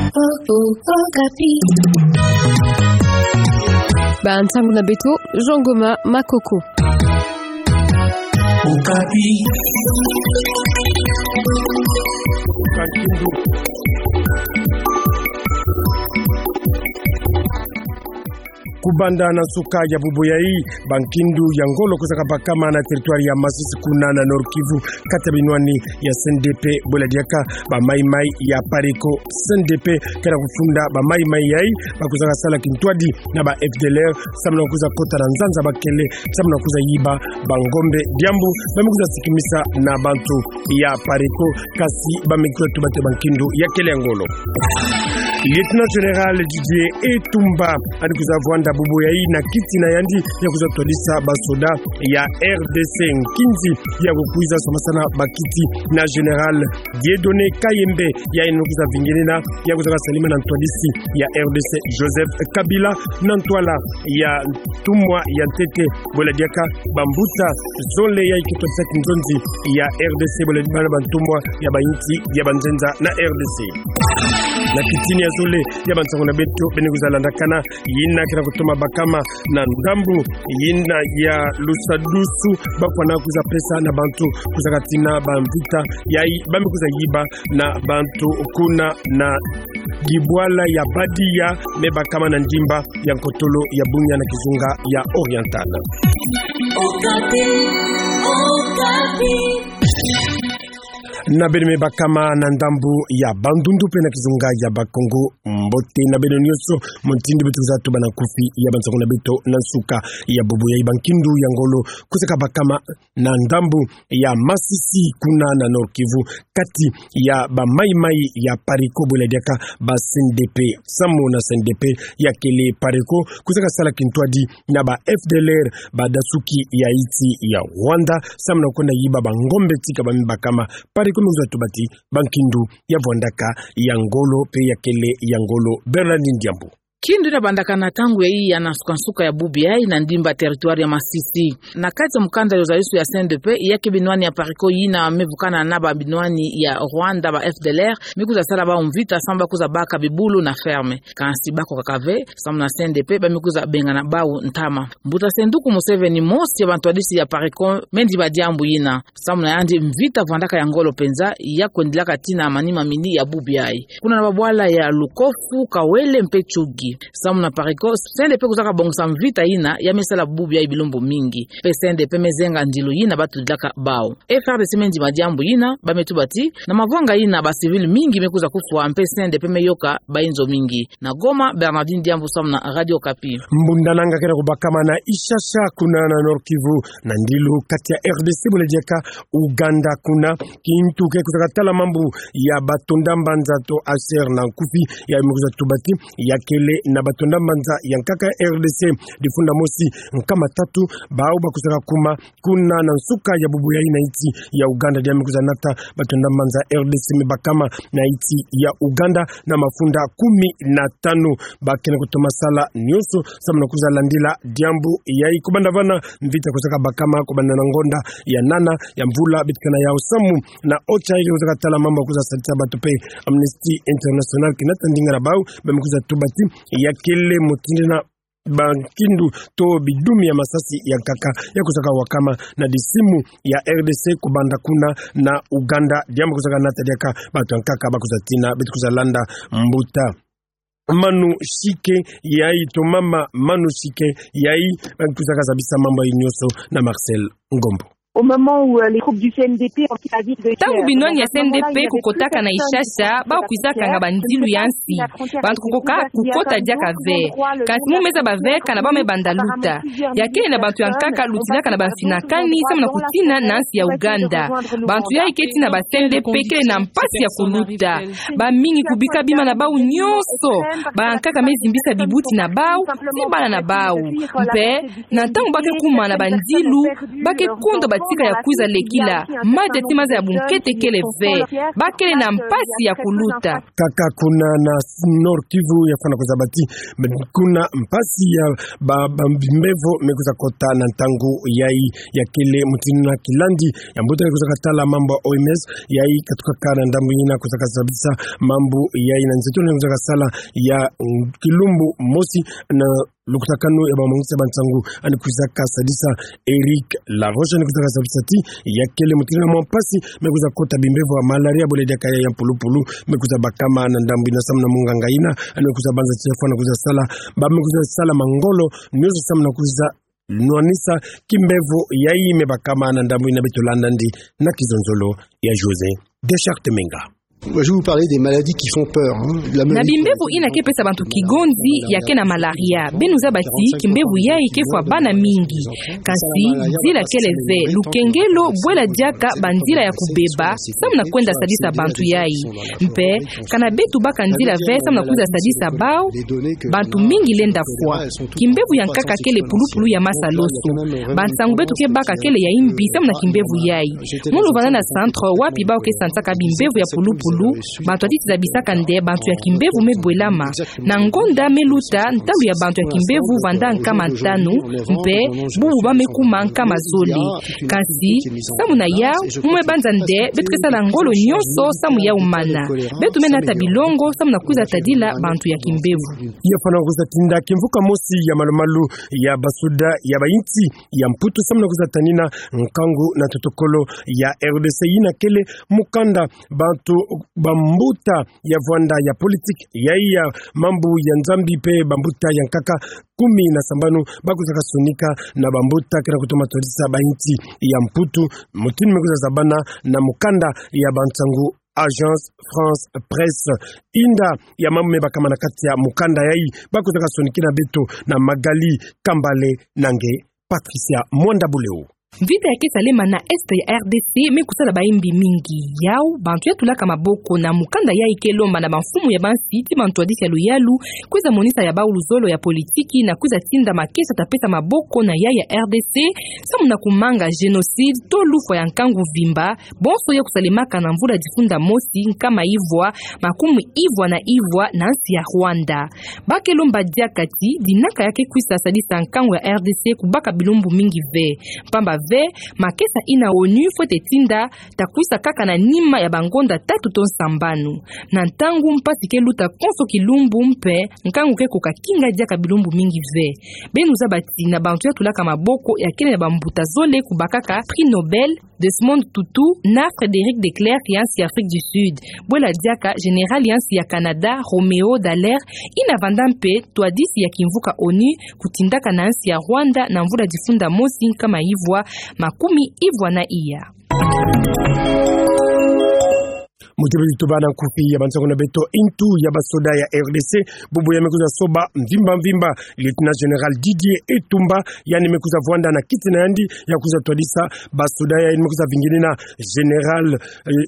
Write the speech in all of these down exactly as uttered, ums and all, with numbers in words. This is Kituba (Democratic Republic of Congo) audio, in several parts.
Okapi. Ba ntangu na beto, Jean Goma Makoko. Okapi. Kubanda na nsuka ya bubu yayi, bankindu ya ngolo kwiza kabakama na territoire ya Masisi kuna na Nord-Kivu, kati ya binwani ya C N D P, bwela diaka ba maï-maï ya Pareco. C N D P kena kufunda ba maï-maï yayi ba kwiza kasala kintwadi na ba F D L R, samu na kwiza kota na nzanza bakele, samu na kwiza yiba bangombe, diambu ba me kwiza sikimisa na bantu ya Pareco, kasi ba me kwiza tuba te bankindu ya kele ya ngolo. Lieutenant Général Didier Etumba, yandi kwiza vwanda bubu yayi na kiti na yandi ya kwiza twadisa basoda ya R D C. Nkinzi ya kukwiza somasana bakiti na Général Dieudonné Kayembe, yayi yandi kwiza vingenina, ya kwiza kasalima na ntwadisi ya R D C Joseph Kabila, na ntwala ya ntumwa ya ntete, bwela diaka bambuta zole yayi ke twadisa kinzonzi ya R D C, bwela bana bantumwa ya bayinsi ya banzenza na R D C. Na kiti ni ya zole ya bansangu na beto, beno kwiza landakana yina kena kutoma bakama na ndambu yina ya Lusadusu, ba kwana kwiza pesa na bantu kwiza katina bamvita yayi ba me kwiza yiba na bantu kuna na dibwala ya Badia, me bakama na ndimba ya nkotolo ya Bunia na kizunga ya Oriental. Okapi, Okapi. Na beno me bakama na ndambu ya Bandundu pe na kizunga ya Bakongo, mbote na beno nyonso. Mutindu beto kwiza tuba na nkufi ya bansangu na beto na nsuka ya bubu yayi, bankindu ya ngolo kwiza kabakama na ndambu ya Masisi kuna na Nord-Kivu, kati ya ba maï-maï ya Pareco, bwela diaka ba C N D P. Samu na C N D P, ya kele Pareco kwiza kasala kintwadi na ba F D L R, badasuki ya insi ya Rwanda, samu na kwenda yiba bangombe tika ba me bakama. Pareco me kwiza tuba ti bankindu ya vwandaka ya ngolo pe ya kele ya ngolo. Bernardine Diambu. Kindu yina bandakana ntangu yayi ya na nsuka-nsuka ya bubu yayi na ndimba territoire ya Masisi. Na kati ya mukanda ya zayusu ya C N D P, ya ke binwani ya Pareco yina me vukana na ba binwani ya Rwanda, ba F D L R me kwiza sala bau mvita samu ba kwiza baka bibulu na ferme. Kansi ba kokaka ve, samu na C N D P ba me kwiza bengana bau ntama. Mbuta Senduku Museveni, mosi ya bantwadisi ya Pareco, me ndima diambu yina. Samu na yandi mvita vwandaka ya ngolo mpenza, ya kwendilaka tii na manima mini ya bubu yayi. Kuna na babwala ya Lukofu, Kawele mpe Tchouguy. Samu na Pareco, C N D P kwiza kabongisa mvita yina ya me sala bubu yayi bilumbu mingi. Mpe C N D P me zenga ndilu yina ba tudilaka bau. F R D C me ndima diambu yina, ba me tuba ti na mavanga yina ba civil mingi me kwiza kufwa, mpe C N D P me yoka bayinzo mingi. Na Goma, Bernardine Diambu samu na Radio Okapi. Mbundananga kena kubakama na Ishasha kuna na Nord-Kivu, na ndilu kati ya R D C bwela diaka Uganda kuna. Kintu ke kwiza katala mambu ya batonda mbanza to H C R na nkufi, ya me kwiza tuba ti ya kele na batonda mbanza ya nkaka R D C, difunda mosi nkama tatu, bau ba kwiza kakuma kuna na nsuka ya bubu yayi na insi ya Uganda, dia me kwiza nata batonda mbanza R D C me bakama na insi ya Uganda na mafunda kumi na tanu. Ba kena kutoma sala nyonso samu na kwiza landila diambu yayi. Kubanda vana, mvita kwiza kabakama kubanda na ngonda ya nana ya mvula beto ke na yau, samu na OCHA yayi kwiza katala mambu ya kwiza sadisa bato mpe Amnesty International ke nata ndinga na bau, ba me kwiza tuba ti ya kele mutindu yina bankindu to bidumi ya masasi ya nkaka ya kwiza kawakama na disimu ya R D C kubanda kuna na Uganda, dia me kwiza kanata diaka bato ya nkaka ba kwiza tina. Beto kwiza landa mbuta Manu Shike yayi to mama Manu Shike yayi, ba kwiza kazabisa mambu yayi nyonso na Marcel Ngombo. Au moment où, euh, les troupes du C N D P ont pris la ville de Kiev. Ntangu binwani ya C N D P kukotaka na Ishasha, bau kwiza kanga bandilu ya nsi. Bantu kukoka kukota diaka ve. Kansi mu me zaba ve kana bau me banda luta. Ya kele na bantu ya nkaka lutilaka na bamfinakani samu na kutina na nsi ya Uganda. Bantu yayi ke tina ba C N D P kele na mpasi ya kuluta. Bamingi kubika bima na bau nyonso. Bankaka me zimbisa bibuti na bau, ti bana na bau. Mpe na ntangu ba ke kuma na bandilu, ba ke kondwa ba tika ya kwiza lekila, madia ti maza ya bunkete kele ve, ba kele na mpasi ya kuluta. Kaka kuna na Nord-Kivu ya fwana kuzabâ ti, kuna mpasi ya ba, ba bimbevo me kwiza kota na ntangu yayi. Ya kele mutindu na kilandi ya mbuta me kwiza katala mambu ya O M S, yayi katukaka na ndambu yina kwiza kazabisa mambu yayi na nzeto na kwiza kasala ya, mm, kilumbu mosi na lukutakanu ya bamongisi ya bansangu, yandi kwiza kasadisa Eric Laroche, yandi kwiza kazabisa ti ya kele mutindu na mwa mpasi me kwiza kota bimbevo ya malaria, bole diaka ya mpulupulu me kwiza bakama na ndambu yina samu na munganga yina, yandi kwiza banza ti ya fwana kwiza sala, ba me kwiza sala mangolo nyonso samu na kwiza nwanisa kimbevo yayi me bakama na ndambu yina. Beto landa yandi na kizonzolo ya José Deschartes Menga. Moi, je vais vous parler des maladies qui font peur, hein. Na bimbevo yina ke pesa bantu kigonzi ya ke na malaria. Beno zaba ti kimbevo yayi ke fwa bana mingi. Kasi nzila kele ve, lukengelo, bwela diaka banzila ya kubeba samu na kwenda sadisa bantu yayi. Mpe kana beto baka nzila ve samu na kwiza sadisa bau, bantu mingi lenda fwa. Kimbevo ya nkaka kele pulupulu ya masaloso. Bansangu beto ke baka kele ya yimbi samu na kimbevo yayi. Mu luvanda na centre wapi bau ke sansaka bimbevo ya pulupulu, bantu ya titi zabisaka nde bantu ya kimbevo me bwelama. Na ngonda me luta, ntalu ya bantu ya kimbevo vanda nkama ntanu, mpe bubu ba me kuma nkama zole. Kasi samu na yau, mu me banza nde beto ke sala ngolo nyonso samu yau mana. Beto me nata bilongo samu na kwiza tadila bantu ya kimbevo. Ya fwana kwiza tinda kimvuka mosi ya malumalu ya basoda ya bayinsi ya Mputu samu na kwiza tanina nkangu na totokolo ya R D C yina kele mukanda. Bantu bambuta ya vwanda ya politique, yayi ya mambu ya Nzambi mpe bambuta ya nkaka kumi na sambanu ba kwiza kasonika na bambuta ke na kutoma twadisa bayinsi ya Mputu, mutindu me kwiza zabana na mukanda ya bansangu Agence France Presse. Inda ya mambu me bakama na kati ya mukanda yayi, ba kwiza kasonikina beto na Magali Kambale na nge Patricia Mwanda Buleo. Vita ya ke salema na est ya R D C me kusala bayimbi mingi. Yau, bantu ya tulaka maboko na mukanda yayi ke lomba na bamfumu ya bansi ti bantwadisi ya luyalu kwiza monisa ya bau luzolo ya politiki na kwiza tinda makesa ta pesa maboko na yayi ya R D C samu na kumanga génocide to lufwa ya nkangu vimba, bonso ya kusalemaka na mvula difunda mosi nkama ivwa makumi ivwa na ivwa na nsi ya Rwanda. Ba ke lomba diaka ti dinaka ya ke kwiza sadisa nkangu ya R D C kubaka bilumbu mingi ve. Mpamba ve, makesa yina ONU fwete tinda ta kwiza kaka na nima ya bangonda tatu to nsambanu. Na ntangu mpasi ke luta konso kilumbu mpe nkangu ke koka kinga diaka bilumbu mingi ve. Beno zaba ti na bantu ya tulaka maboko ya kele na bambuta zole kubakaka prix Nobel, Desmond Tutu na Frédéric de Klerk ya nsi ya Afrique du Sud. Bwela diaka général ya nsi ya Canada, Roméo Dallaire, yina vanda mpe ntwadisi ya kimvuka ONU kutindaka na nsi ya Rwanda na mvula difunda mosi nkama ivwa makumi ivwa na iya. Mutebeli tuba na nkufi ya bansangu na beto, intu ya basoda ya R D C, bubu ya me kwiza soba mvimba mvimba, Lieutenant Général Didier Etumba, yandi me kwiza vwanda na kiti na yandi ya kwiza twadisa basoda ya, yandi me kwiza vinginina Général, eh,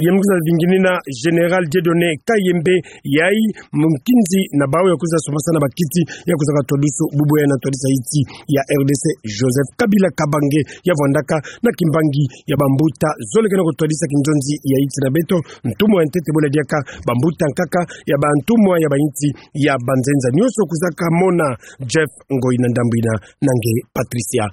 yandi me kwiza vinginina Général Dieudonné Kayembe, yayi mukinzi na bau ya kwiza somasana bakiti ya kwiza katwadusu bubu ya na twadisa insi ya R D C, Joseph Kabila Kabange, ya vwandaka na kimbangi ya bambuta zole ke na kutwadisa kinzonzi ya insi na beto, ntumwa ya ntete bwela diaka bambuta nkaka ya bantumwa ya bayinsi ya banzenza nyonso. Kwiza kamona Jeff Ngoi na ndambu yina na nge Patricia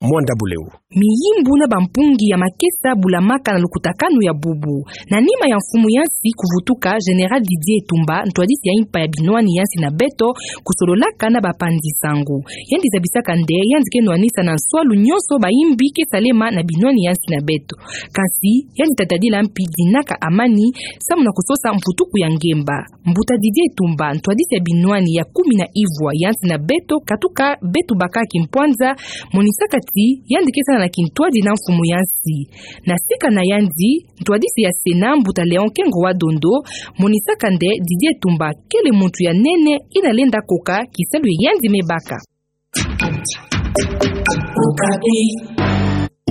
Mwanda Buleo. Miyimbu na bampungi ya makesa bulamaka na lukutakanu ya bubu. Na nima ya mfumu ya nsi kuvutuka, Général Didier Etumba, ntwadisi ya impa ya binwani ya nsi na beto, kusololaka na bapanzi sangu, yandi zabisaka nde yandi ke nwanisa na nswalu nyonso bayimbi ke salema na binwani ya nsi na beto. Kasi yandi tatadila mpi dinaka amani samu na kusosa mvutuku ya ngemba. Mbuta Didier Etumba, ntwadisi ya binwani ya kumi na ivwa ya nsi na beto, katuka beto baka kimpwanza, monisaka ti yandi ke sala na kintwadi na mfumu ya nsi. Na sika na yandi, ntwadisi ya Sénat, mbuta Léon Kengo wa Dondo, monisaka nde Didier Etumba kele muntu ya nene yina lenda koka kisalu ya yandi me baka.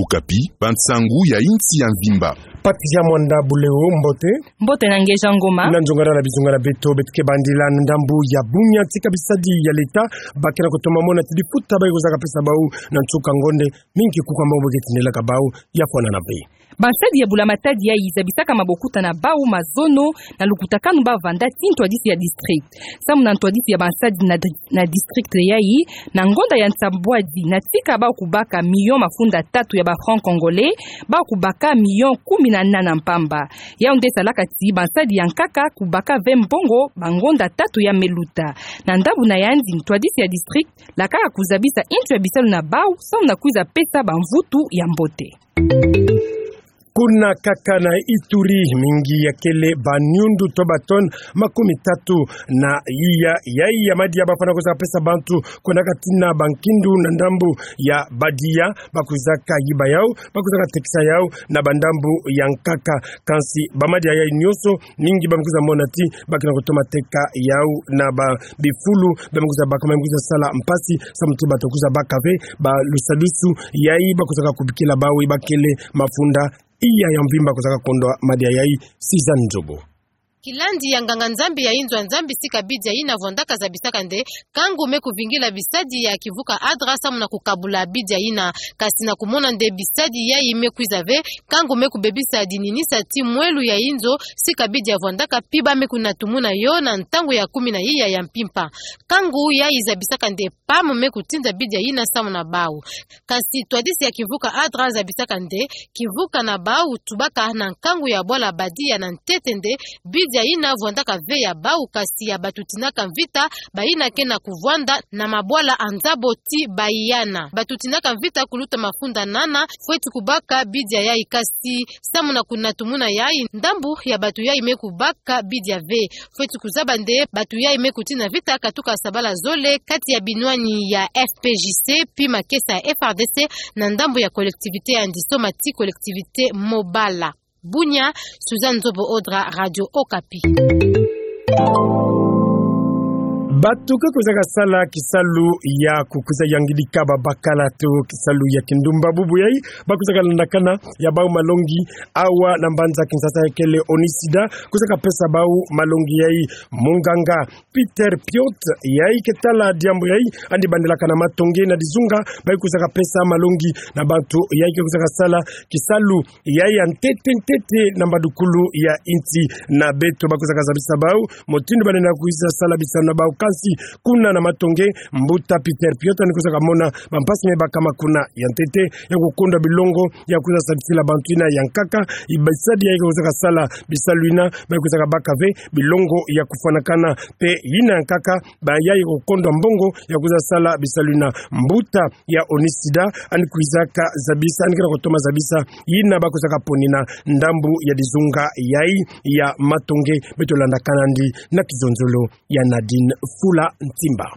Okapi, bansangu ya insi ya mvimba. Patricia Mwanda Buleo, mbote. Mbote na ngeja ngoma. Na nzongala na bizunga na beto, beto ke bandila na ndambu ya bunya tika bisadi ya leta, ba ke na kutoma mona ti difuta bayi kozaka pesa bau na nsuka ngonde, mingi kuka mbongo bo ke tindilaka bau, ya fwana na be. Bansadi ya bula-matadi yayi zabisaka mabokuta na bau mazono na lukutakanu ba vanda ti ntwadisi ya district. Samu na ntwadisi ya bansadi na di-, na district yayi, na ngonda ya nsambwadi na tika bau kubaka milion mafunda tatu ya ba francs congolais, bau kubaka milion kumi na nana mpamba. Yau nde salaka ti bansadi ya nkaka kubaka ve mbongo ba ngonda tatu ya me luta. Na ndambu na yandi ntwadisi ya district lakaka kuzabisa intu ya bisalu na bau, samu na kwiza pesa bamvutu ya mbote. Kuna kaka na Ituri, mingi ya kele baniundu to ba tonnes makumi tatu na iya, yayi ya madia ba fwana kozaka pesa bantu, kuna kati na bankindu na ndambu ya badia, ba kwizaka yiba yau, ba kwizaka tekisa yau na bandambu ya nkaka. Kansi ba madia yayi nyonso, mingi ba me kwiza mona ti ba ke na kutoma teka yau na ba bifulu, ba me kwiza baka, ba me kwiza sala mpasi, samu ti bato kwiza baka ve ba lusadusu yayi ba kwizaka kubikila bau, ba kele mafunda iya ya mvimba kwizaka kondwa madia yayi. Sizani Nzobo. Kilandi ya nganga-Nzambi ya inzo ya Nzambi sika bidia yina vwandaka zabisaka nde, nkangu me kuvingila bisadi ya kivuka ADRA samu na kukabula bidia yina. Kasi na kumona nde bisadi yayi me kwiza ve, nkangu me kubebisa dininisa ti mwelu ya inzo sika bidia vwandaka, pi ba me kunatumuna yo na ntangu ya kumi na iya ya mpimpa. Nkangu yayi zabisaka nde PAM me kutinda bidia yina samu na bau. Kasi ntwadisi ya kivuka ADRA zabisaka nde, kivuka na bau tubaka na nkangu ya bwala badia na ntete nde, bidia yina vwandaka ve ya bau, kasi ya bato tinaka mvita, bayina ke na kuvwanda na mabwala a nzabo ti bayiyana. Bato tinaka mvita kuluta mafunda nana fweti kubaka bidia yayi, kasi samu na kunatumuna yayi, ndambu ya bato yayi me kubaka bidia ve. Fweti kuzaba nde bato yayi me kutina mvita katuka sabala zole kati ya binwani ya F P J C pi makesa ya F R D C na ndambu ya collectivité ya Ndisoma ti collectivité Mobala. Bunia, Suzanne Nzobo Odra, Radio Okapi. Bato ke kwizaka sala kisalu ya kukwiza yangidika babakala to kisalu ya kindumba bubu yayi, ba kwizaka landakana ya bau malongi awa na mbanza Kinshasa ya kele ONUSIDA, kwizaka pesa bau malongi yayi munganga Peter Piot, yayi ke tala diambu yayi, yandi bandilaka na matonge na dizunga bayi kwizaka pesa malongi na bantu yayi ke kwizaka sala kisalu yayi ya ntete ntete na mbadukulu ya insi na beto. Ba kwizaka zabisa bau mutindu banene kwiza sala bisalu na bau, kansi kuna na matonge, mbuta Peter Piot yandi kwizaka mona bampasi me bakama kuna. Ya ntete, ya kukondwa bilongo ya kwiza sadisila bantu yina ya nkaka, bisadi yayi ke kwizaka sala bisalu yina, bayi kwizaka baka ve bilongo ya kufwanakana, mpe yina ya nkaka, ba yayi kukondwa mbongo ya kwiza sala bisalu yina. Mbuta ya ONUSIDA yandi kwizaka zabisa, yandi ke na kutoma zabisa yina ba kwizaka ponina ndambu ya dizunga yayi ya matonge. Beto landa kanandi na kizonzolo ya Nadine Fula Ntimba.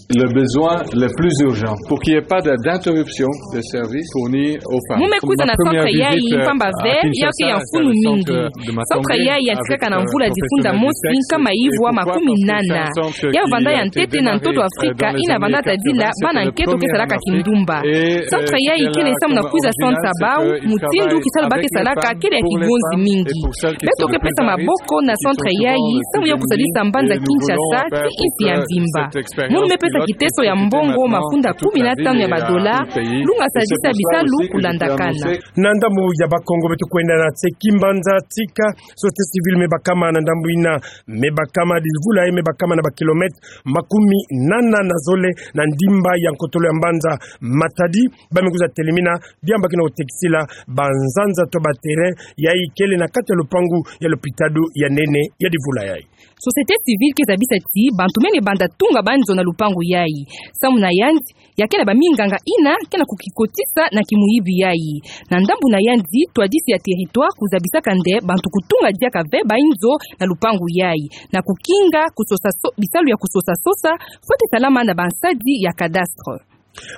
Le besoin le plus urgent pour qu'il n'y ait pas de, d'interruption des services fournis aux femmes. Mu me kwiza na centre yayi mpamba ve, ya ke ya mfunu mingi. Centre yayi yantikaka na mvula difunda mosi nkama ivwa makumi nana. Ya vanda ya ntete na ntoto Afrika, yina vanda tadila bana nketo ke salaka kindumba. Centre yayi kele samu na kwiza swanisa bau mutindu kisalu ba ke salaka kele ya kigonzi mingi. Beto ke pesa maboko na centre yayi samu ya kusadisa mbanza Kinshasa ti insi ya mvimba. Munu me pesa kiteso ya mbongo mafunda kumi na tanu ya badola, lu nga sadisa bisalu kulandakana. Na ndambu ya Bakongo, beto kwenda na tseki mbanza tika société civile me bakama na ndambu yina, me bakama divula yayi, me bakama na bakilomètre makumi nana na zole na ndimba ya nkotolo ya mbanza Matadi, ba me kwiza telemina diambu ba ke na kutekisila banzanza to ba terrain yayi kele na kati ya lupangu ya lopitalo ya nene ya divula yayi. Société civile ke zabisa ti bantu me banda tunga banzo na lupangu yayi. Samu na yandi, ya ke na baminganga yina ke na kukikotisa na kimuyibi yayi. Na ndambu na yandi, ntwadisi ya territoire kuzabisaka nde bantu kutunga diaka ve banzo na lupangu yayi. Na kukinga kusosa so-, bisalu ya kusosa sosa, fweti salama na bansadi ya cadastre.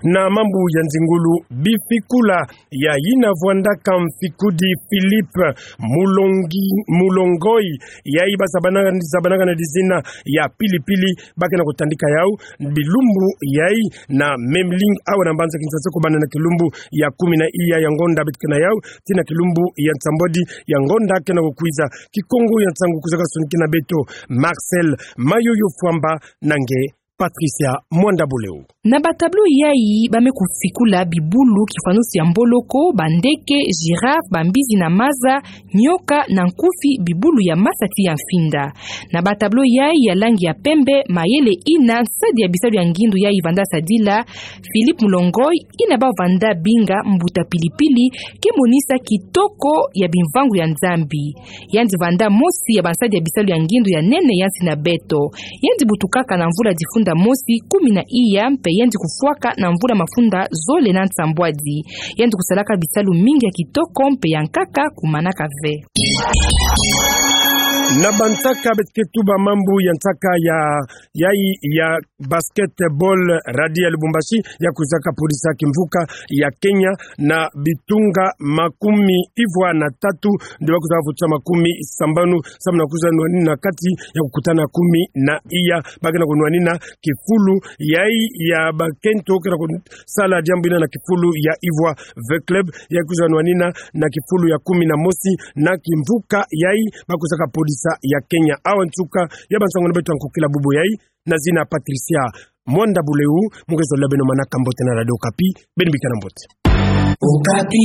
Na mambu ya nzingulu, bifikula ya yina vwandaka mfikudi Philippe Mulongi-, Mulongoi, yayi bazabanaka, zabanaka na dizina ya Pili-Pili, ba ke na kutandika yau bilumbu yayi na Memling awa na mbanza Kinshasa, kobanda na kilumbu ya kumi na iya ya ngonda beto ke na yau, tii na kilumbu ya nsambwadi ya ngonda ke na kukwiza. Kikongo ya nsangu kwizaka sonikina beto Marcel Mayoyo Fwamba na nge Patricia Mwanda Buleu. Na batableau yayi ba me kufikula bibulu kifwanusu ya mboloko, bandeke, girafe, bambizi na maza, nyoka na nkufi, bibulu ya masa tii ya mfinda. Na batableau yayi ya langi ya pembe, mayele yina nsadi ya bisalu ya ngindu yayi vanda sadila Philippe Mulongoi, yina ba vanda binga Mbuta Pili-Pili, ke monisa kitoko ya bimvangu ya Nzambi. Yandi vanda mosi ya bansadi ya bisalu ya ngindu ya nene ya nsi na beto. Yandi butukaka na mvula difunda mosi kumi na iya, mpe yandi kufwaka na mvula mafunda zole na nsambwadi. Yandi kusalaka bisalu mingi ya kitoko mpe ya nkaka kumanaka ve. Na bansaka beto ke tuba mambu ya nsaka ya, yayi ya basketball, Radi ya Lubumbashi ya kwizaka polisa kimvuka ya Kenya na bitunga makumi ivwa na tatu, nde ba kwizaka vutisa makumi sambanu, samu na kwiza nwanina kati ya kukutana kumi na iya. Ba ke na kunwanina kifulu yayi ya bakento ke na kusala diambu yina na kifulu ya Ivoire V Club, ya kwiza nwanina na kifulu ya kumi na mosi na kimvuka yayi ba kwizaka polisa ya Kenya. Awa nsuka ya bansangu na beto ya nkokila bubu yayi. Na zina Patricia Mwanda Buleu, mu ke zolila beno manaka mbote na Radio Okapi, beno bika na mbote. Okapi.